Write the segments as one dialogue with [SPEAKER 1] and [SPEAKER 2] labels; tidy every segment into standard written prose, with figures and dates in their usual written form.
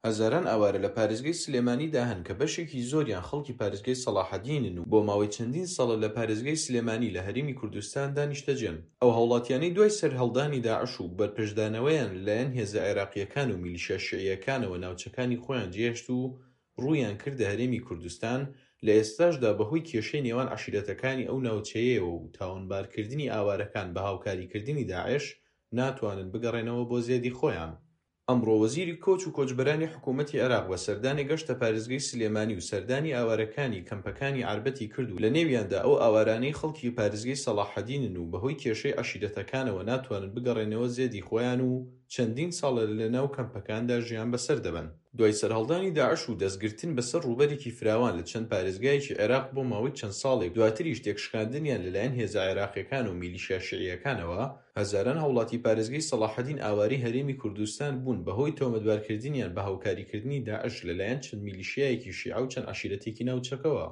[SPEAKER 1] هەزاران ئاوارە لە پارێزگای سلێمانیدا هەن کە بەشێکی زۆریان خەڵکی پارێزگای سەڵاحەدینن و بۆ ماوەی چەندین ساڵە لە پارێزگای سلێمانی لە هەرێمی کوردستاندا نیشتەجێن. ئەو هاوڵاتیانەی دوای سەرهەڵدانی داعش و بەرپەرچدانەوەیان لەلایەن هێزە عێراقییەکان و میلیشیا شیعییەکانەوە ناوچەکانی خۆیان جێهێشت و ڕوویان کردە هەرێمی کوردستان، لە ئێستاشدا بەهۆی کێشەی نێوان عەشیرەتەکانی ئەو ناوچەیەوە و تاوانبارکردنی ئاوارەکان بە هاوکاریکردنی داعش، ناتوانن بگەڕێنەوە بۆ زێدی خۆیان. ئەمڕۆ وەزیری کۆچ و کۆچبەرانی حکوومەتی عێراق بە سەردانێک گەشتە پارێزگای سلێمانی و سەردانی ئاوارەکانی کەمپەکانی عەربەتی کرد و لەنێویاندا ئەو ئاوارانەی خەڵکی پارێزگای سەڵاحەدینن و بەهۆی کێشەی عەشیرەتەکانەوە ناتوانن بگەڕێنەوە زێدی خۆیان و چەندین ساڵە لەناو کەمپەکاندا ژیان بەسەر دەبەن. دوای سەرهەڵدانی داعش و دەستگرتن بەسەر ڕووبەرێکی فراوان لە چەند پارێزگایەکی عێراق بۆ ماوەی چەند ساڵێک دواتریش تێکشکاندنیان لەلایەن هێزە عێراقییەکان و میلیشیا شیعییەکانەوە، هەزاران هاوڵاتی پارێزگەی سەڵاحەدین ئاوارەی هەرێمی کوردستان بوون بەهۆی تۆمەتبارکردنیان بە هاوکاریکردنی داعش لەلایەن چەند میلیشیایەکی شیعە و چەند عەشیرەتێکی ناوچەکەوە.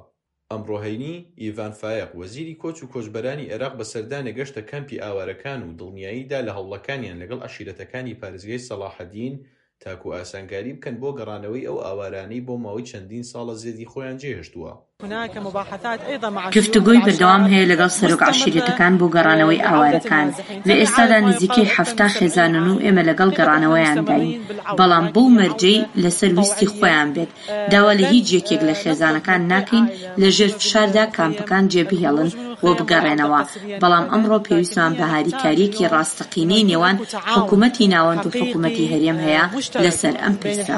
[SPEAKER 1] ئەمڕۆ هەینی، ئیڤان فایەق، وەزیری کۆچ و کۆچبەرانی عێراق بە سەردانێک گەشتە کەمپی ئاوارەکان و دڵنیایی دا لە هەوڵەکانیان لەگەڵ عەشیرەتەکانی پارێزگای سەڵاحەدین تاکو ئاسانکاری بکەن بۆ گەڕانەوەی ئەو ئاوارانەی بۆ ماوەی چەندین ساڵە زێدی خۆیان جێهێشتووە.
[SPEAKER 2] گفتوگۆی بەردەوام هەیە لەگەڵ سەرۆک عەشیرەتەکان بۆ گەڕانەوەی ئاوارەکان، لە ئێستادا نزیکەی 70 خێزانن و ئێمە لەگەڵ گەڕانەوەیانداین، بەڵام بەو مەرجەی لەسەر ویستی خۆیان بێت، داوا لە هیچ یەکێک لە خێزانەکان ناکەین لە ژێر فشاردا کامپەکان جێبهێڵن و بگەڕێنەوە، بەڵام ئەمڕۆ پێویستمان بە هاریکارییەکی ڕاستەقینەی نێوان حکومەتی ناوەند و حکومەتی هەرێم هەیە لەسەر ئەم پرسە.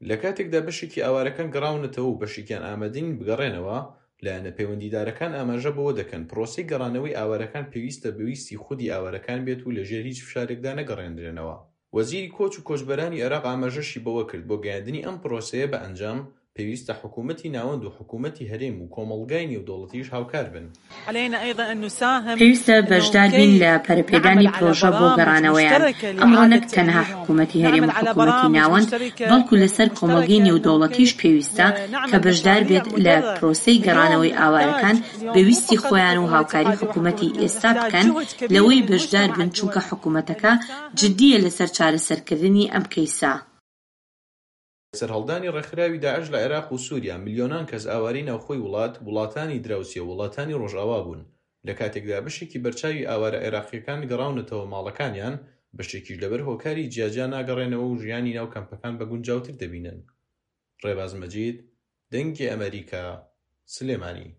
[SPEAKER 1] لە کاتێکدا بەشێکی ئاوارەکان گەڕاونەتەوە و بەشێکیان ئامادە نین بگەڕێنەوە، لایەنە پەیوەندیدارەکان ئاماژە بەوە دەکەن، پرۆسەی گەڕانەوەی ئاوارەکان پێویستە بە ویستی خودی ئاوارەکان بێت و لەژێر هیچ فشارێکدا نەگەڕێندرێنەوە. وەزیری کۆچ و کۆچبەرانی عێراق ئاماژەشی بەوە کرد، بۆ گەیاندنی ئەم پرۆسەیە بە ئەنجام، پێویستە حکوومەتی ناوەند و حکوومەتی هەرێم و کۆمەڵگای نێودەوڵەتیش هاوکار بن.
[SPEAKER 2] پێویستە بەشدار بین لە پەرەپێدانی پرۆژە بۆ گەڕانەوەیان، ئەمڕۆ نەک تەنها حکوومەتی هەرێم و حکوومەتی ناوەند، بەڵکو لەسەر کۆمەڵگەی نێودەوڵەتیش پێویستە کە بەشدار بێت لە پرۆسەی گەڕانەوەی ئاوارەکان بە ویستی خۆیان و هاوکاری حکوومەتی ئێستا بکەن لەوەی بەشدار بن چونکە حکوومەتەکە جدییە لەسەر چارەسەرکردنی ئەم کەیسە.
[SPEAKER 1] سەرهەڵدانی ڕێکخراوی داعش لە عێراق و سووریا، ملیۆنان کەس ئاوارەی ناوخۆی وڵات، وڵاتانی دراوسێ و وڵاتانی ڕۆژئاوا بوون، لە کاتێکدا بەشێکی بەرچاوی ئاوارە عێراقییەکان گەڕاونەتەوە ماڵەکانیان، بەشێکیش لەبەر هۆکاری جیاجیا ناگەڕێنەوە و ژیانی ناو کەمپەکان بە گونجاوتر دەبینن. ڕێباز مەجید، دەنگی ئەمەریکا، سلێمانی.